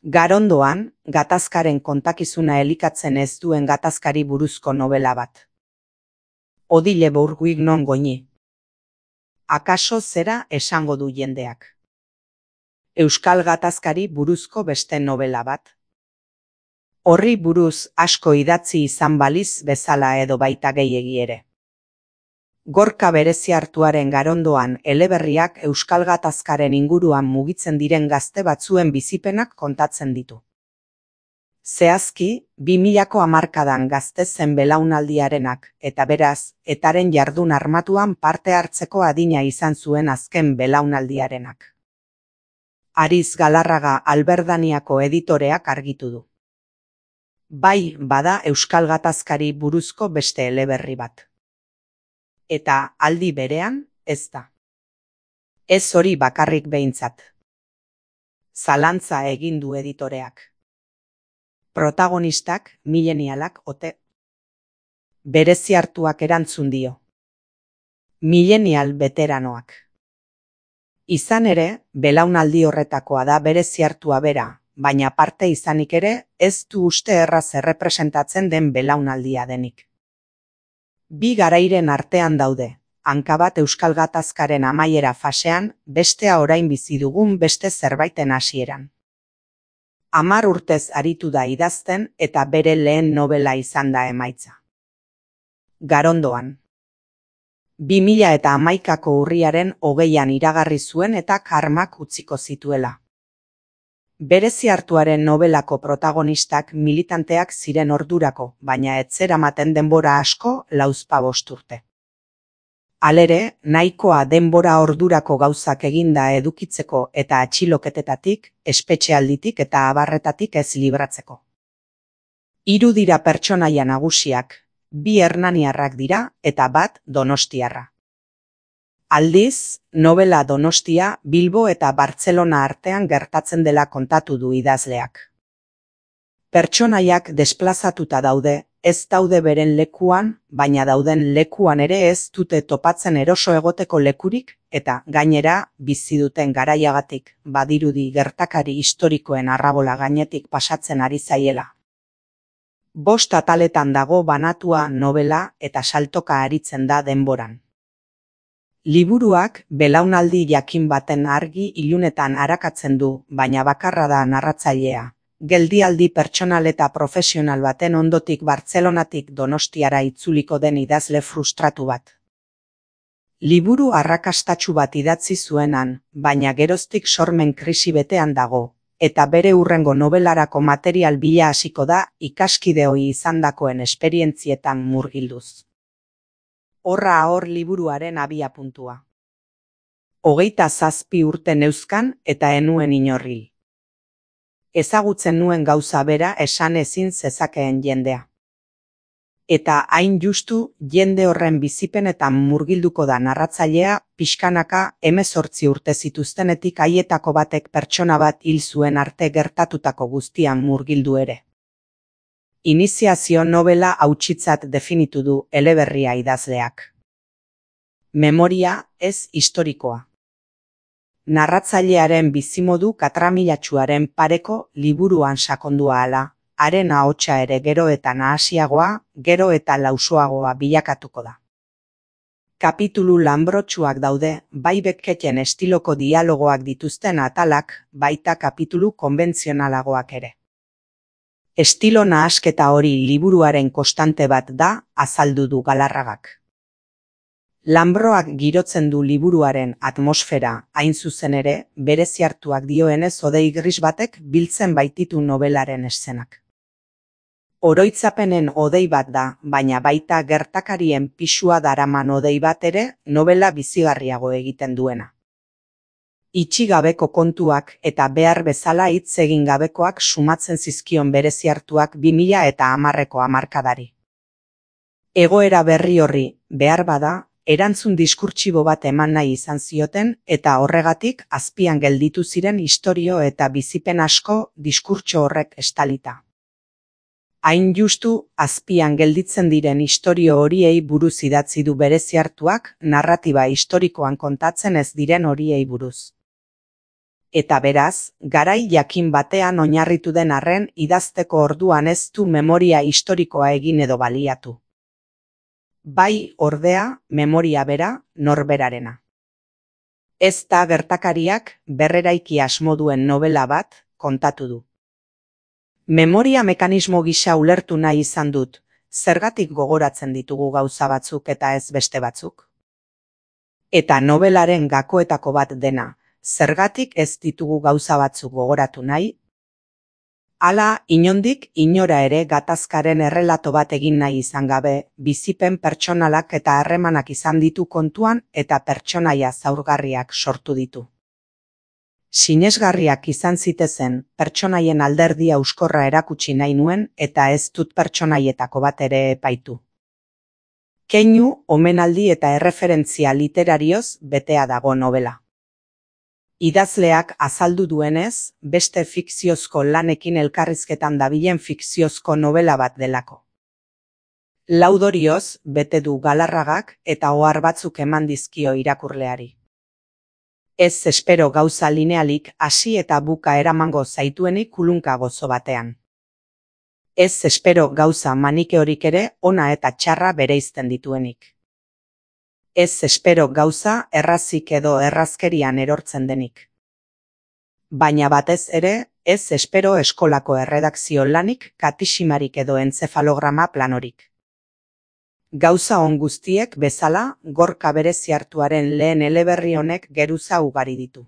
Garondoan, gatazkaren kontakizuna elikatzen ez duen gatazkari buruzko nobela bat. Odile Bourguignon goñi. Akaso zera esango du jendeak. Euskal gatazkari buruzko beste nobela bat. Horri buruz asko idatzi izan baliz bezala edo baita gehiegi ere. Gorka Bereziartuaren Garondoan eleberriak euskal gatazkaren inguruan mugitzen diren gazte batzuen bizipenak kontatzen ditu. Zehazki, 2000ko hamarkadan gazte zen belaunaldiarenak, eta beraz, etaren jardun armatuan parte hartzeko adina izan zuen azken belaunaldiarenak. Ariz Galarraga Alberdaniako editoreak argitu du. Bai, bada euskal gatazkari buruzko beste eleberri bat. Eta aldi berean, ez da. Ez hori bakarrik behintzat. Zalantza egin du editoreak. Protagonistak, milenialak ote. Bereziartuak erantzun dio. Milenial beteranoak. Izan ere, belaunaldi horretakoa da Bereziartua bera, baina parte izanik ere, ez du uste erraz errepresentatzen den belaunaldia denik. Bi garairen artean daude, hanka bat euskal gatazkaren amaiera fasean, bestea orain bizi dugun beste zerbaiten hasieran. 10 urtez aritu da idazten eta bere lehen nobela izan da emaitza. Garondoan. 2011ko urriaren 20an iragarri zuen eta karmak utziko zituela. Bereziartuaren nobelako protagonistak militanteak ziren ordurako, baina ez zeramaten denbora asko 45 urte. Halere, nahikoa denbora ordurako gauzak eginda edukitzeko eta atxiloketetatik, espetxealditik eta abarretatik ez libratzeko. 3 dira pertsonaia nagusiak, 2 hernaniarrak dira eta bat donostiarra. Aldiz, nobela Donostia, Bilbo eta Bartzelona artean gertatzen dela kontatu du idazleak. Pertsonaiak desplazatuta daude, ez daude beren lekuan, baina dauden lekuan ere ez dute topatzen eroso egoteko lekurik, eta gainera, bizi duten garaiagatik, badirudi gertakari historikoen arrabola gainetik pasatzen ari zaiela. 5 ataletan dago banatua nobela eta saltoka aritzen da denboran. Liburuak belaunaldi jakin baten argi ilunetan arakatzen du, baina bakarra da narratzailea. Geldialdi pertsonal eta profesional baten ondotik Bartzelonatik Donostiara itzuliko den idazle frustratu bat. Liburu arrakastatsu bat idatzi zuenan, baina geroztik sormen krisi betean dago, eta bere hurrengo nobelarako material bila hasiko da ikaskideoi izandakoen esperientzietan murgilduz. Horra hor liburuaren abiapuntua. 27 urte neuzkan eta enuen inorril. Ezagutzen nuen gauza bera esan ezin zezakeen jendea. Eta hain justu jende horren bizipenetan murgilduko da narratzailea pixkanaka 18 urte zituztenetik haietako batek pertsona bat hil zuen arte gertatutako guztian murgildu ere. Iniziazio nobela hautsitzat definitu du eleberria idazleak. Memoria ez historikoa. Narratzailearen bizimodu katramilatsuaren pareko liburuan sakondua hala, haren ahotsa ere gero eta nahasiagoa, gero eta lausoagoa bilakatuko da. Kapitulu lanbrotsuak daude, bai Becketen estiloko dialogoak dituzten atalak, baita kapitulu konbentzionalagoak ere. Estilo nahasketa hori liburuaren konstante bat da, azaldu du Galarragak. Lanbroak girotzen du liburuaren atmosfera, hain zuzen ere, Bereziartuak dioenez hodei gris batek biltzen baititu nobelaren eszenak. Oroitzapenen hodei bat da, baina baita gertakarien pisua daraman hodei bat ere nobela bizigarriago egiten duena. Itxigabeko kontuak eta behar bezala hitz egin gabekoak sumatzen zizkion Bereziartuak 2010ko hamarkadari. Egoera berri horri, behar bada, erantzun diskurtsibo bat eman nahi izan zioten eta horregatik azpian gelditu ziren istorio eta bizipen asko diskurtso horrek estalita. Hain justu, azpian gelditzen diren istorio horiei buruz idatzi du Bereziartuak narratiba historikoan kontatzen ez diren horiei buruz. Eta beraz, garai jakin batean oinarritu den arren idazteko orduan ez du memoria historikoa egin edo baliatu. Bai, ordea, memoria bera, norberarena. Ez da gertakariak berreraiki asmo duen novela bat kontatu du. Memoria mekanismo gisa ulertu nahi izan dut, zergatik gogoratzen ditugu gauza batzuk eta ez beste batzuk? Eta novelaren gakoetako bat dena, zergatik ez ditugu gauza batzuk gogoratu nahi? Hala, inondik inora ere gatazkaren errelato bat egin nahi izan gabe, bizipen pertsonalak eta harremanak izan ditu kontuan eta pertsonaia zaurgarriak sortu ditu. Sinesgarriak izan zitezen, pertsonaien alderdia euskorra erakutsi nahi nuen eta ez dut pertsonaietako bat ere epaitu. Keinu, omenaldi eta erreferentzia literarioz betea dago novela. Idazleak azaldu duenez, beste fikziozko lanekin elkarrizketan dabilen fikziozko novela bat delako. Laudorioz bete du galarragak eta ohar batzuk eman dizkio irakurleari. Ez espero gauza linealik hasi eta buka eramango zaituenik kulunka gozo batean. Ez espero gauza manikeorik ere ona eta txarra bereizten dituenik. Ez espero gauza errazik edo errazkerian erortzen denik. Baina batez ere, ez espero eskolako erredakzio lanik, katisimarik edo entzefalograma planorik. Gauza on guztiek bezala, Gorka berezi hartuaren lehen eleberri honek geruza ugari ditu.